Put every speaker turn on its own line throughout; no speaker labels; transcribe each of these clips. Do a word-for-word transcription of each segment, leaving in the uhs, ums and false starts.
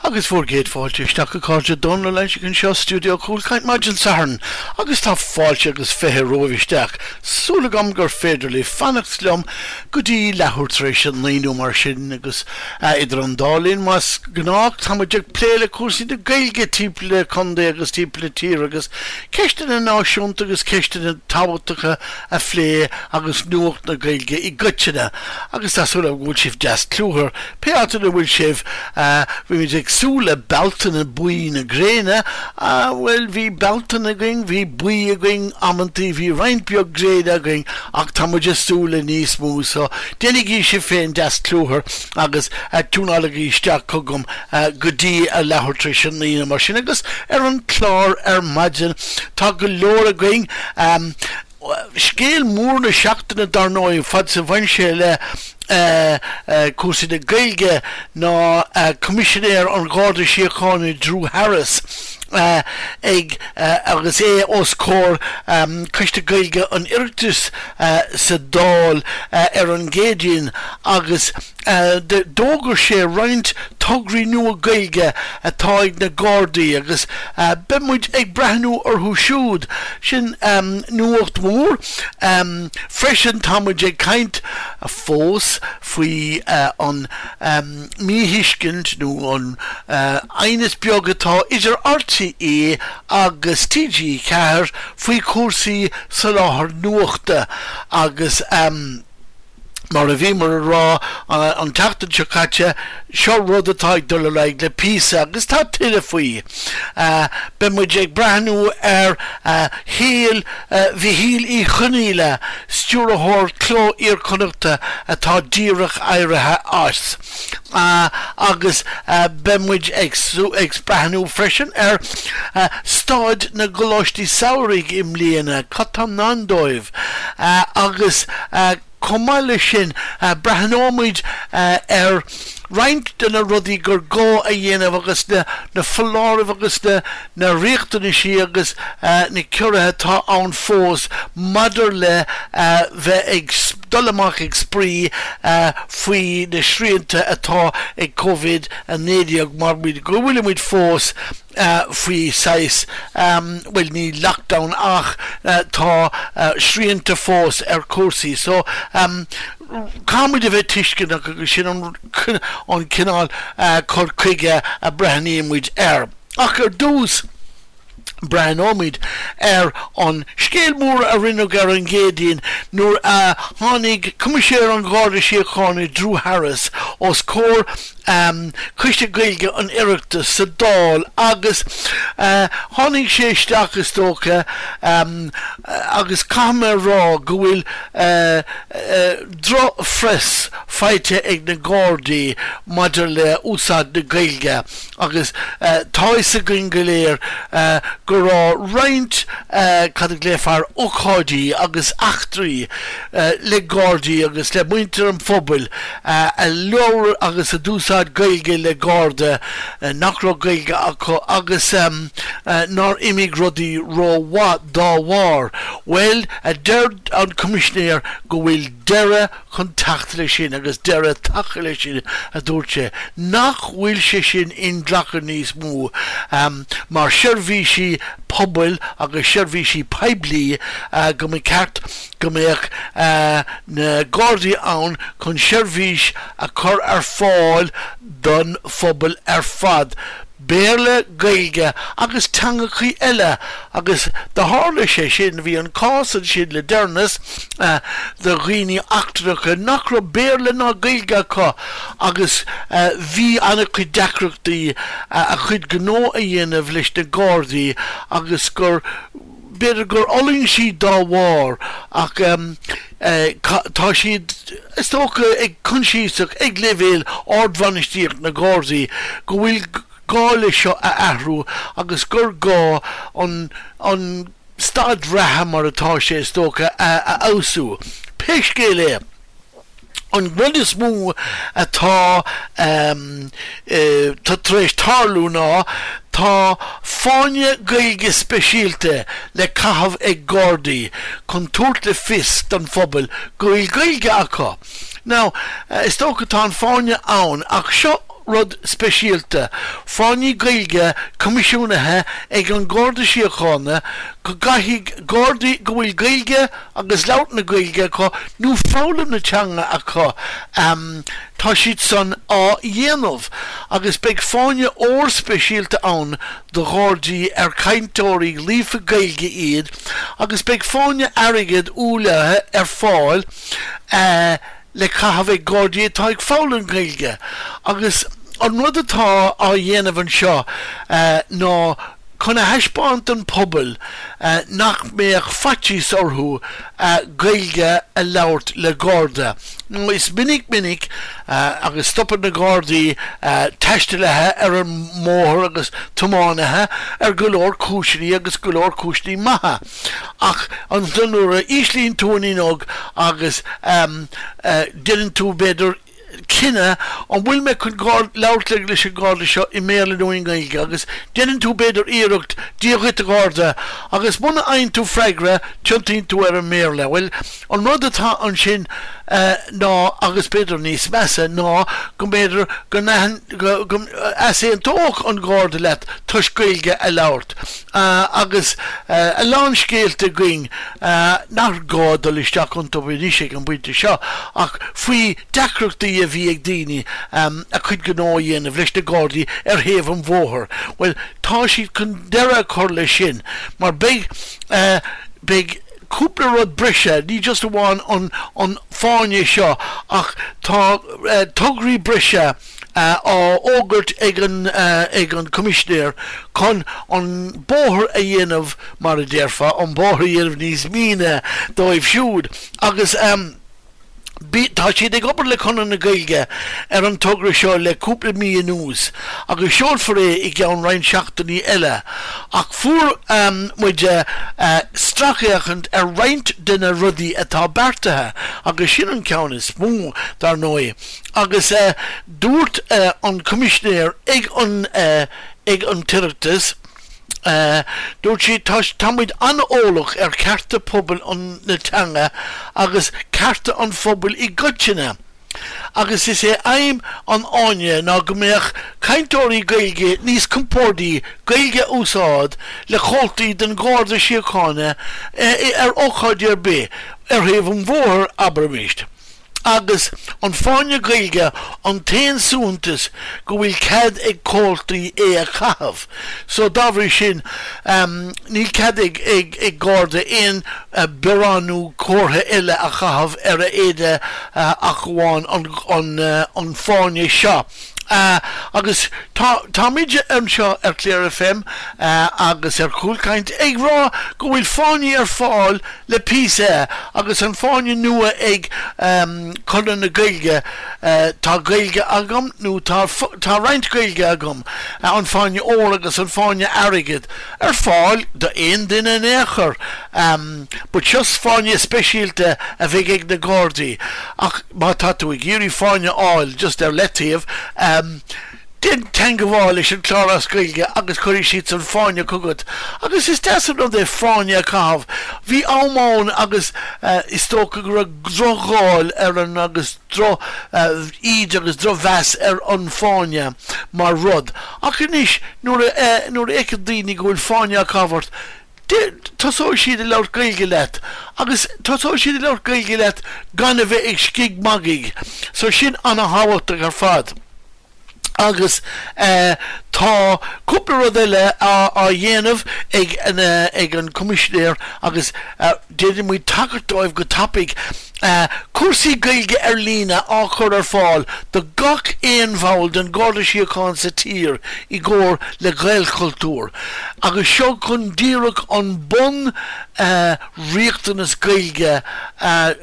Agus bhur gcéad fáilte isteach a chairde Dónal Ó Loingsigh anseo Stiúideo Cúlchaint maidin Sathairn agus tá fáilte agus fiche romhaibh isteach. Súil agam gur féidir libh fanacht liom go dtí leathuair tar éis a naoi nó mar sin agus idir an dá linn más gnách táimid ag plé le cúrsaí na Gaeilge timpeall an chontae agus timpeall na tíre agus ceisteanna náisiúnta agus ceisteanna tábhachtacha a phlé agus nuacht na Gaeilge i gcoitinne agus tá súil agam go bhfuil sibh deas cluthar pé áit ina bhfuil sibh bhí ag súil le Bealtaine buí na gréine bhuel bhí Bealtaine againn bhí buí againn amantaí bhí roinnt beag gréine againn ach tá muid ag súil le níos mó so déanaigí sibh féin deas cluthar agus tiúnálaigí isteach chugam go dtí a leathuair tar éis a naoi mar sin agus ar an chlár ar maidin tá go leor againn scéal mór na seachtaine dar ndóigh fad is a bhain sé le cúrsaí na Gaeilge ná Coimisinéir an Gharda Síochána Drew Harris ag agus é os comhair Coiste Gaeilge an Oireachtais sa Dáil ar an gCéadaoin agus d'fhógair sé roinnt tograí nua Gaeilge atá ag na Gardaí agus beidh muid ag breathnú orthu siúd sin nuacht mhór. Freisin tá muid ag caint fós faoi an míthuiscint nó an aighneas beag atá idir RTÉ agus TG Ceathair faoi chúrsaí soláthar nuachta agus mar a bhíomar a rá an tseachtain seo caite, seo rud atá ag dul ar aghaidh le píosa agus tá tuilleadh faoi. Beidh muid ag breathnú ar shaol Mhichíl Uí Chonghaile, stiúrthóir Cló Iar-Chonnachta atá díreach éirithe as. Agus beidh muid ag breathnú freisin ar staid na gcoláistí samhraidh i mbliana, cad tá i ndán dóibh agus Chomh maith leis sin, breathnóimid ar roinnt de na rudaí gur gá a dhéanamh agus na foláirimh agus na riachtanaisí agus na ciorruithe atá ann fós maidir le bheith ag dul amach ag spraoi faoi na srianta atá ag Covid a naoi déag mar go bhfuilimid fós faoi saghas, bhuel ní lockdown ach tá srianta fós ar chúrsaí so caithfimid a bheith tuisceanach agus sin an cineál cur chuige a breathnaímid air. Ach ar dtús breathnóimid ar an scéal mór a rinneadh ar an gCéadaoin nuair a tháinig Coimisinéir an Gharda Síochána Drew Harris os comhair Coiste Gaeilge an Oireachtais sa Dáil agus tháinig sé isteach is dócha agus caithfidh mé a rá go bhfuil drochphress faighte ag na Gardaí maidir le úsáid na Gaeilge agus tá fhios againn go léir go raibh roinnt cad a ghlaofar ócáidí agus eachtraí le Gardaí agus le muintir an phobail a labhair agus a d'úsáid Gaeilge le Garda nach raibh Gaeilge acu agus nár imigh rudaí rómhaith dá bharr. Bhuel, a deir an Coimisinéir go bhfuil deireadh chun teacht leis sin agus deireadh tagtha leis sin, a dúirt sé, nach bhfuil sé sin inghlactha níos mó mar seirbhísí pobail agus seirbhísí poiblí go mba cheart go mbeadh na Gardaí ann chun seirbhís a chur ar fáil don phobal ar fad, Béarla, Gaeilge agus teangachaí eile agus do tharla sé sin, bhí an cás ansin le deireanas de dhaoine eachtrannacha nach raibh Béarla ná Gaeilge acu agus bhí an-chuid deacrachtaí a chuid gnó a dhéanamh leis na Gardaí agus gur B'fhéidir gur fhulaing siad dá bharr ach tá siad, is dócha, ag coinsiasach ag leibhéal ardbhainistíocht na Gardaí go bhfuil gá le seo a athrú agus gur gá an an staid reatha mar atá sé, is dócha, a fheabhsú. Pé scéal é. An rud is mó atá tar éis tarlú ná tá fáinne Gaeilge speisialta le caitheamh ag Gardaí chun tabhairt le fios don phobal go bhfuil Gaeilge acu. Now, is dócha tá an fáinne ann ach seo rud speisialta, fáinní Gaeilge coimisiúnaithe ag an Garda Síochána go gcaithfidh Gardaí go bhfuil Gaeilge agus labhairt na Gaeilge acu nó foghlaim na teanga acu tá siad san á dhéanamh agus beidh fáinne óir speisialta ann do Ghardaí ar cainteoirí líofa Gaeilge iad agus beidh fáinne airgid ualaithe ar fáil uh, le caitheamh ag Gardaí atá ag foghlaim Gaeilge agus an rud atá á dhéanamh anseo uh, ná chun a thaispeáint don pobal uh, nach mbeadh faitíos orthu uh, Gaeilge a labhairt le Garda. No is minic minic uh, agus stopann na Gardaí uh, taistealaithe ar an mbóthar agus tiománaithe ar go leor cúiseanna agus go leor cúiseanna maithe. Ach an nuair a íslíonn tú an fhuinneog agus um, uh, déanann tú b'fhéidir cinneadh an bhfuil mé chun labhairt leis an Garda seo i mBéarla nó i nGaeilge agus déanann tú b'fhéidir iarracht Dia dhuit a Gharda agus muna bhfaigheann tú freagra tiontaíonn tú ar an mBéarla. Well an rud atá ansin uh, ná agus b'fhéidir níos measa ná go mb'fhéidir go n-easaontódh an Garda leat toisc Gaeilge a labhairt. Uh, agus uh, a lán scéalta againn uh, nach gá dul isteach iontu anois ag an bpointe seo ach faoi deacrachtaí a bhí ag daoine um, a cuid gnó a dhéanamh leis na Gardaí ar thaobh an bhóthair. Well tá siad chun deireadh a chur leis sin, mar beidh uh, beidh cúpla rud breise ní just amháin an an fáinne seo ach tá uh, tograí breise uh, á fhógairt ag an uh, ag an coimisinéir chun an bóthar a dhéanamh mar a déarfá an bóthar a dhéanamh níos míne dóibh siúd agus um, Tá siad ag obair le Conradh na Gaeilge ar an togra seo le cúpla mí anuas agus seolfar é i gceann roinnt seachtainí eile ach fuair um, muid uh, stracfhéachaint ar roinnt de na rudaí atá beartaithe agus sin an ceann is mó dar ndóigh agus uh, dúirt uh, an coimisinéir ag an uh, ag an tOireachtas Uh, Dúirt sí táimid an-eolach ar cearta pobal an na teanga agus cearta an phobail i gcoitinne. Agus is é aidhm an fháinne ná go mbeadh cainteoirí Gaeilge níos compordaí Gaeilge a úsáid le comhaltaí den Gharda Síochána ar ócáid ar bith ar thaobh an bhóthair abraimis. Agus an fáinne Gaeilge an t-aon suaitheantas go bhfuil cead ag comhaltaí é a chaitheamh. So dá bhrí sin um, níl cead ag ag ag Garda aon uh, biorán nó comhartha eile a chaitheamh ar a éide uh, ach amháin an, an, uh, an fáinne seo. Uh, agus táimid anseo ar Cliar FM uh, agus ar Cúlchaint ag rá go bhfuil fáinní ar fáil le píosa agus an fáinne nua ag um, Conradh na Gaeilge uh, tá Gaeilge agam nó tá, tá roinnt Gaeilge agam uh, an fáinne óir agus an fáinne airgid ar fáil do aon duine in aon chor um, but just fáinne speisialta a bheidh ag na Gardaí ach má tá tú ag iarraidh fáinne a fháil just ar leataobh um, Déan teagmháil leis an chlár as Gaeilge agus cuirfidh siad an fáinne chugat. Agus is deas an rud é fáinne a chaitheamh. Bhí am ann agus uh, is dócha go raibh drocháil ar an agus dro uh, íde agus drochmheas ar an fáinne mar rud. Ach anois nuair uh, nuair a fheiceann daoine go bhfuil fáinne á chaitheamh ort, tosóidh siad ag labhairt Gaeilge leat agus tosóidh siad ag labhairt Gaeilge leat gan a bheith ag scigmhagadh, so sin an-thábhachtach ar fad. Agus uh, tá cúpla rud eile á, á dhéanamh ag an, uh, ag an coimisinéir agus uh, déanfaidh muid tagairt dóibh go tapaidh uh, cúrsaí Gaeilge ar líne á chur ar fáil do gach aon bhall den Garda Síochána sa tír i gcomhar le Gaelchultúr. Agus seo chun díreach an bun uh, riachtanas Gaeilge uh,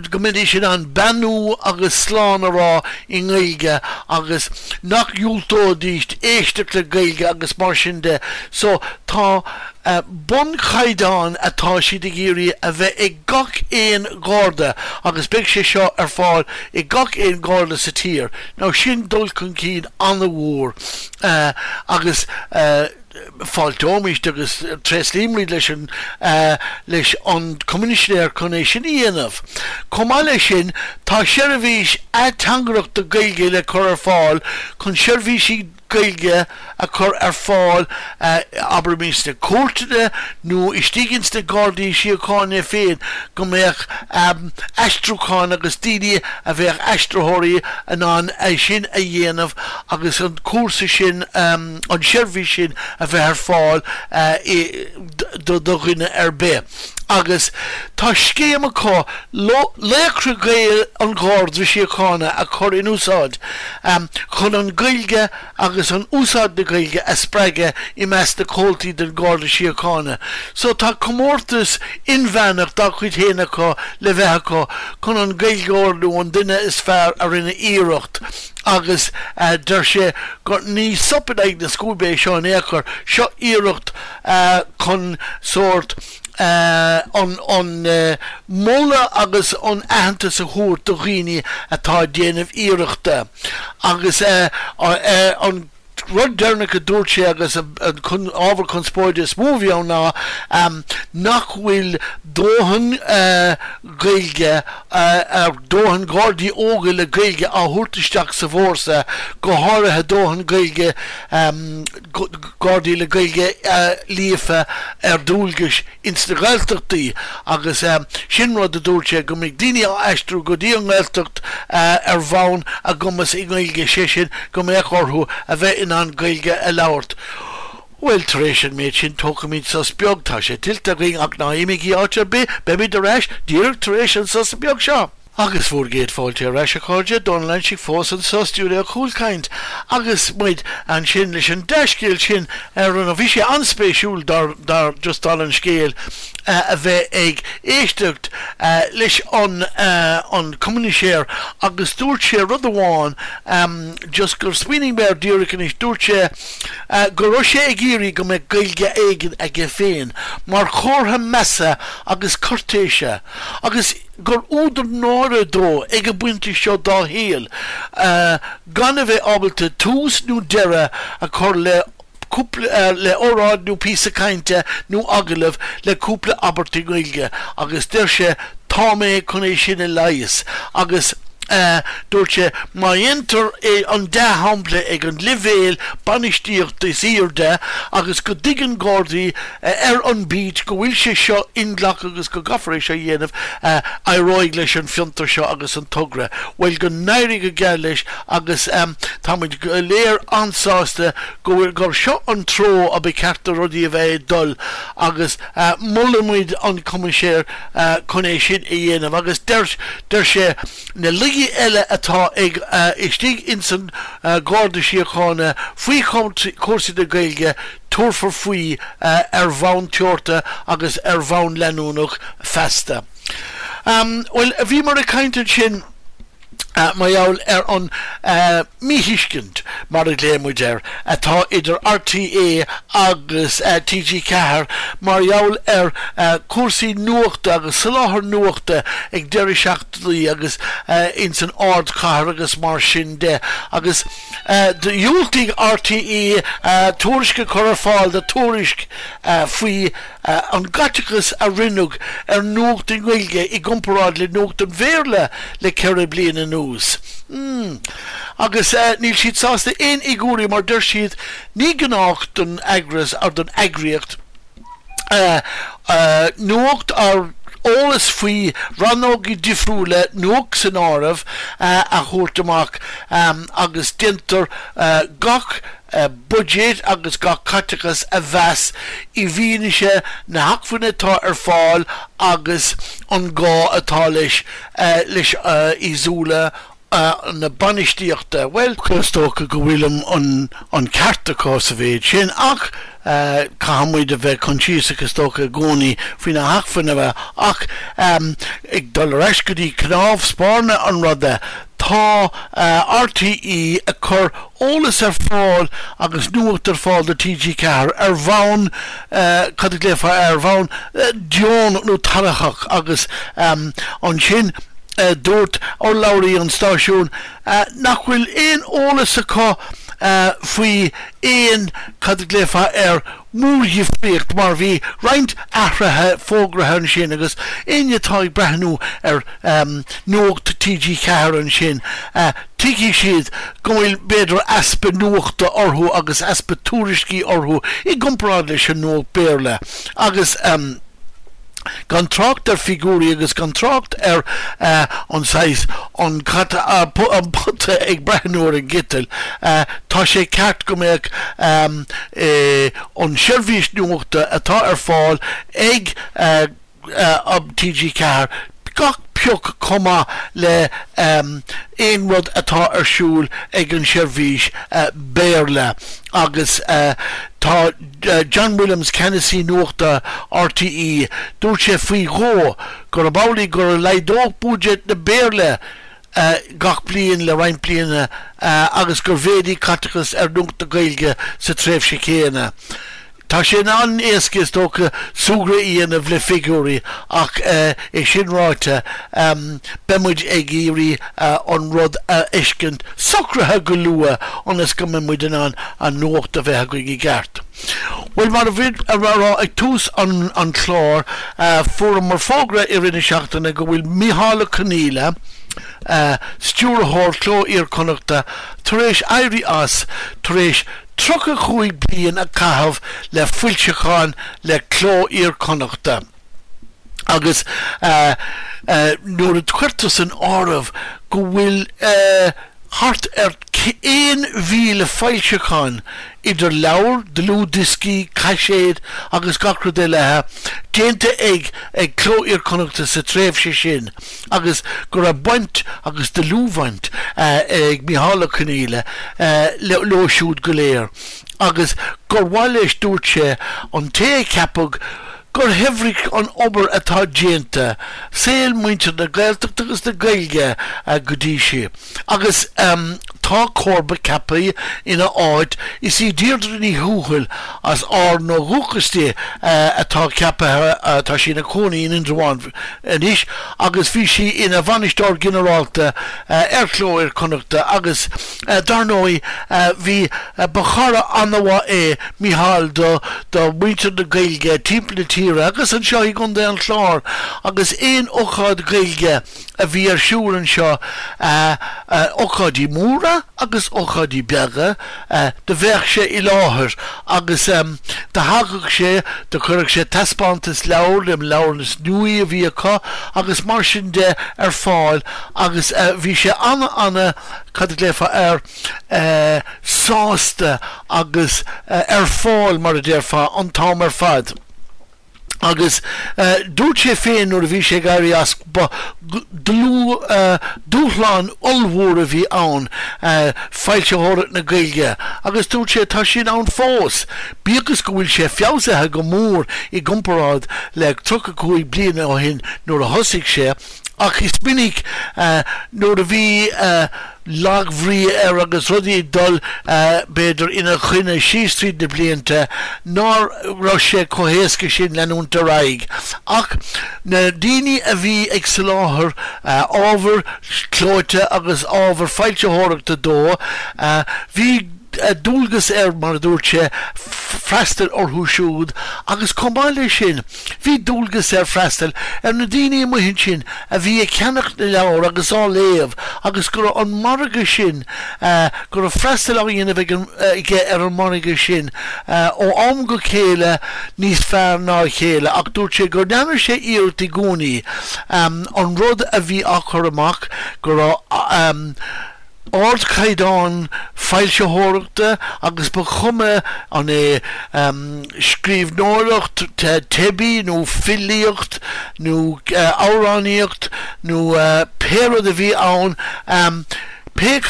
go mbeidís in ann beannú agus slán a rá i nGaeilge agus nach ndiúltóidís éisteacht le Gaeilge agus mar sin de. So tá uh, bunchaighdeán atá siad ag iarraidh a bheith ag gach aon Gharda agus beidh sé seo ar fáil ag gach aon Gharda sa tír. Now sin dul chun cinn an-mhór uh, agus uh, Fáilteoimid agus tréaslaímid leis an leis an Coimisinéir chun é sin a dhéanamh. Chomh maith leis sin, tá seirbhís ateangaireachta Gaeilge le cur ar fáil chun seirbhísí Gaeilge a chur ar fáil, abraimis sna cúirteanna nó istigh ins na Gardaí Síochána féin, go mbeadh aistriúchán agus daoine a bheadh aistritheoirí in ann é sin a dhéanamh agus an cúrsa sin, an tseirbhís sin a bheith ar fáil do dhuine ar bith. Agus tá scéim acu Laochra Gael an Gharda Síochána a chur in úsáid chun an Ghaeilge agus an úsáid na Gaeilge a spreagadh i measc na comhaltaí den Gharda Síochána. So tá comórtas inmheánach dá chuid féin acu le bheith acu chun an Gaeilgeoir nó an duine is fearr a rinne iarracht agus deir sé gur ní sop in aghaidh na scuaibe é seo in aon chor, seo iarracht chun sórt an an moladh agus an aitheantas a thabhairt do dhaoine atá ag déanamh iarrachta agus an rud deireanach a dúirt sé agus an ábhar conspóide is mó a bhí ann ná nach bhfuil dóthain Gaeilge, dóthain Gardaí óga le Gaeilge á thabhairt isteach sa bhfórsa, go háirithe dóthain Gaeilge, Gardaí le Gaeilge líofa ar dualgais ins na Gaeltachtaí agus sin rud a dúirt sé go mbeidh daoine á aistriú go dtí an nGaeltacht ar bhonn a gcumas i nGaeilge, sé sin go mbeadh orthu a bheith in ann Gaeilge a labhairt. Bhuel, tar éis an méid sin tógfaimid sos beag, tá sé tuillte againn ach ná imígí áit ar bith, beimid ar ais díreach tar éis an sosa beag seo. Agus bhur gcéad fáilte ar ais, a chairde, Dónal Loingsigh fós anseo i stiúideo Chúlchaint agus muid ansin leis an dea-scéal sin ar an, bhí sé an-spéisiúil dar, dar, just dála an scéil, a bheith ag éisteacht leis an, an Coimisinéir agus dúirt sé rud amháin just gur smaoinigh mé air díreach anois, dúirt sé go raibh sé ag iarraidh go mbeadh Gaeilge éigin aige féin mar chomhartha measa agus cúirtéise agus gur údar náire dó ag an bpointe seo dá shaol gan a bheith ábalta tús nó deireadh a chur le cúpla le óráid nó píosa cainte nó agallamh le cúpla abairt i nGaeilge agus deir sé tá mé chun é sin a leigheas agus Dúirt sé, má dhéantar an dea-shampla ag an leibhéal bainistíochta is airde agus go dtuigeann Gardaí ar an bheat go bhfuil sé seo inghlactha agus go gcaithfear é seo a dhéanamh, éireoidh leis an bhfiontar seo agus an togra. Bhuel, go n-éirí go geal leis agus táimid go léir an-sásta go bhfuil, gur seo an treo a ba cheart do rudaí a bheith ag dul agus molaimid an Coimisinéir chun é sin a dhéanamh agus deir, deir sé, Na laigí eile atá ag istigh ins an Gharda Síochána faoi chúrsaí na Gaeilge, tabharfar faoi ar bhonn teoranta agus ar bhonn leanúnach feasta. Bhuel, bhíomar ag caint ansin mar gheall ar an míthuiscint, mar a ghlaoigh muid air, atá idir RTÉ agus T G ceathair mar gheall ar chúrsaí nuachta agus soláthar nuachta ag deireadh seachtainí agus ins an ardchathair agus mar sin de. Agus dhiúltaigh RTÉ tuairisc a chur ar fáil do Tuairisc faoi an gcaiteachas a rinneadh ar nuacht i nGaeilge i gcomparáid le nuacht an Bhéarla le ceithre bliana anuas. Agus níl siad sásta aon fhigiúirí mar deir siad ní gnách don eagras or don eagraíocht nuacht or eolas faoi rannógaí difriúla, nuacht san áireamh, a thabhairt amach agus déantar gach buiséad agus gach caiteachas a mheas i bhfianaise na hacmhainne atá ar fáil agus an gá atá leis leis i súile na bainistíochta. Bhuel, is dócha go bhfuil an ceart acu sa mhéid sin ach caithfidh muid a bheith coinsiasach is dócha i gcónaí faoi na hacmhainní ach ag dul ar ais go dtí cnámh spairne an ruda, Tá RTÉ ag cur eolas ar fáil agus nuacht ar fáil do T G ceathair ar bhonn, cad a ghlaofá air, ar bhonn deonach nó tairfeach agus ansin dúirt urlabhraí an stáisiúin nach bhfuil aon eolas acu faoi aon, cad a ghlaofá air, mórdhifríocht mar bhí roinnt athruithe fógraithe ansin agus éinne atá ag breathnú ar Nuacht T G ceathair ansin, tuigfidh siad go bhfuil b'fhéidir easpa nuachta orthu agus easpa tuairiscí orthu i gcomparáid leis an nuacht Béarla agus. Gan trácht ar figiúirí agus gan trácht ar an saghas, an cat, an pota ag breathnú ar an gciteal, tá sé ceart go mbeadh an seirbhís nuachta atá ar fáil ag T G ceathair gach pioc chomh maith le aon rud atá ar siúl ag an seirbhís Béarla. Agus tá John Williams, ceannasaí nuachta R T E, dúirt sé faoi dhó gurb amhlaidh gur laghdódh buiséad na Béarla gach bliain le roinnt bliana agus gur mhéadaigh caiteachas ar nuacht na Gaeilge sa tréimhse chéanna. Tá sé an-éasca, is dócha, súgradh a dhéanamh le figiúirí ach é sin ráite, beidh muid ag iarraidh an rud a fheiscint socraithe go luath ionas go mbeidh muid in ann an nuacht a bheith againn i gceart. Bhuel, mar a bhí á rá ag tús an an chláir, fuaireamar fógra i rith na seachtaine go bhfuil Micheál Ó Conghaile, stiúrthóir Cló Iar-Chonnachta, tar éis éirí as tar éis tríocha cúig bliain a chaitheamh le foilseacháin le Cló Iar-Chonnachta. Agus nuair a chuirtear san áireamh go bhfuil thart ar aon mhíle foilseachán, idir leabhair, dlúthdhioscaí, caiséid agus gach rud eile, déanta ag ag Cló Iar-Chonnachta sa tréimhse sin agus go raibh baint agus dlúthbhaint ag Micheál Ó Conghaile leo siúd go léir agus gur mhaith leis, dúirt sé, an té a ceapadh gur shaibhrigh an obair atá déanta saol muintir na Gaeltachta agus na Gaeilge go dtí seo. Agus tá comharba ceaptha ina áit, is í Deirdre Ní Thuathail, as Árainn ó dhúchas di, atá ceaptha. Tá sí ina cónaí in Indreabhán anois agus bhí sí ina bhainisteoir ginearálta ar Chló Iar-Chonnachta agus dar ndóigh bhí ba chara an-mhaith é Micheál do do mhuintir na Gaeilge timpeall na tíre agus anseo i gContae an Chláir agus aon ócáid Ghaeilge a bhí ar siúl anseo, ócáidí móra agus ócáidí beaga, do bheadh sé i láthair agus do thagadh sé, do chuireadh sé taispeántas leabhar, na leabhair is nuaí a bhí acu agus mar sin de ar fáil agus bhí sé ana, ana, cad a ghlaofá air, sásta agus ar fáil, mar a déarfá, an t-am ar fad. Agus dúirt sé féin nuair a bhí sé ag éirí as, ba dlúth dúshlán ollmhór a bhí ann, foilsitheoireacht na Gaeilge, agus dúirt sé tá sin ann fós, bíodh is go bhfuil sé feabhsaithe go mór i gcomparáid le tríocha cúig bliana ó shin nuair a thosaigh sé. Ach is minic nuair a bhí lagbhrí air agus rudaí ag dul b'fhéidir ina choinne síos tríd na blianta ná raibh sé chomh héasca sin leanúint ar aghaidh. Ach na daoine a bhí ag soláthar ábhar clóite agus ábhar foilsitheoireachta dó, bhí dualgas air, mar a dúirt sé, freastal orthu siúd agus chomh maith leis sin bhí dualgas air freastal ar na daoine amuigh ansin a bhí ag ceannach na leabhar agus á léamh agus go raibh an margadh sin, go raibh freastal á dhéanamh ag an aige ar an margadh sin ó am go chéile níos fearr ná a chéile. Ach dúirt sé go ndearna sé iarracht i gcónaí an rud a bhí á chur amach, go raibh ardchaighdeán foilsitheoireachta agus ba chuma an é scríbhneoireacht teibí nó filíocht nó amhránaíocht nó pé rud a bhí ann, pé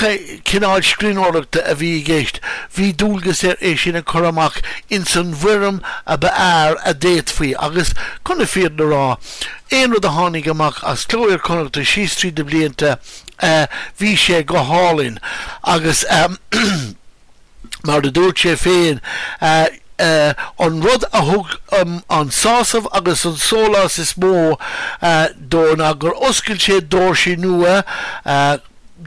cineál scríbhneoireachta a bhí i gceist, bhí dualgas air é sin a chur amach ins an bhfoirm a ba fhearr a d'fhéadfaí. Agus chun na fírinne a rá, aon rud a tháinig amach as Cló Iar-Chonnachta síos tríd na blianta, bhí sé go hálainn. Agus mar a dúirt sé féin, an rud a thug an sásamh agus an sólás is mó dó ná gur oscail sé doirsí nua.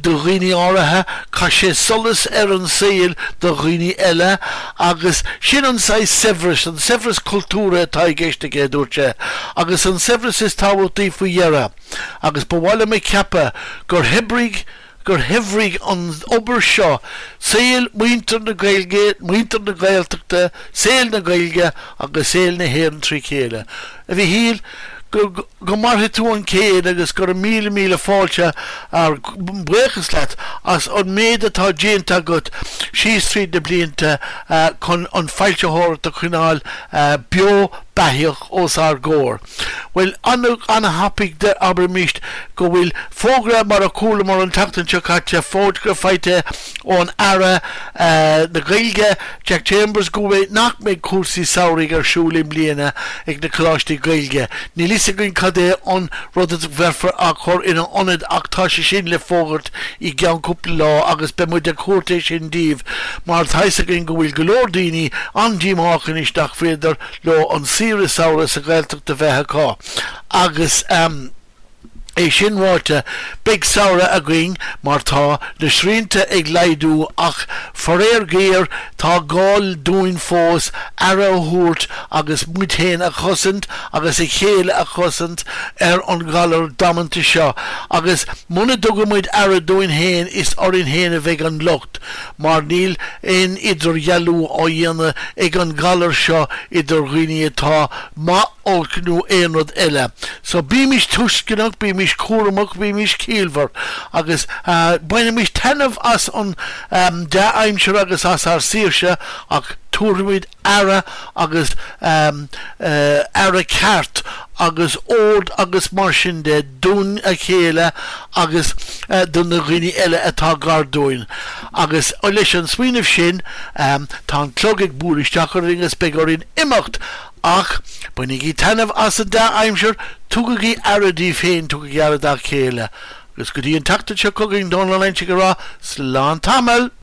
do dhaoine áirithe, chaith sé solas ar an saol do dhaoine eile agus sin an saghas saibhreas, an saibhreas cultúrtha atá i gceist aige, a dúirt sé, agus an saibhreas is tábhachtaí faoi dheireadh. Agus ba mhaith liom a cheapadh gur shaibhrigh gur shaibhrigh an obair seo saol muintir na Gaeilge, muintir na Gaeltachta, saol na Gaeilge agus saol na hÉireann trí chéile. A Mhichíl, go go mairfidh tú an céad agus go raibh míle míle fáilte ár buíochas leat as an méid atá déanta agat síos tríd na blianta chun an fhoilsitheoireacht a choinneáil beo beathach os ár gcomhair. Well an-thapaidh abraimis go bhfuil fógra mar a chualamar an tseachtain seo caite fógra faighte ón Aire na Gaeilge Jack Chambers go bhfuil nach mbeidh cúrsaí samhraidh ar siúl i mbliana ag na coláistí Gaeilge. Níl fhios againn cad é an rud a bheifear á chur ina ionad ach tá sé sin le fógairt i gceann cúpla lá agus beidh muid ag tabhairt é sin daoibh mar tá fhios againn go bhfuil go leor daoine an-díomách anois nach féidir leo an saoire samhraidh sa Ghaeltacht a bheith acu agus um, É sin ráite beidh samhradh againn mar tá na srianta ag laghdú ach faraor géar tá gá dúinn fós aire a thabhairt agus muid féin a chosaint agus a chéile a chosaint ar an ghalar damanta seo agus muna dtugaimid aire dúinn féin is orainn féin a bheidh an locht mar níl aon idirdhealú á dhéanamh ag an galar seo idir dhaoine atá maith olc nó aon rud eile. So bímis tuisceanach, bímis cúramach, bímis ciallmhar agus uh, bainimis taitneamh as an um, dea-aimsir agus as ár saoirse ach tabharfaimid aire agus um, uh, aire ceart agus ord agus mar sin de dúinn a chéile agus uh, do na dhaoine eile atá gar dúinn. Agus leis an smaoineamh sin um, tá an clog ag bualadh isteach orainn agus beidh orainn imeacht ach bainigí taitneamh as an dea-aimsir tugaigí aire daoibh féin tugaigí aire dá chéile. Agus go dtí an tseachtain seo chugainn Dónal Loingsigh ag rá slán tamall.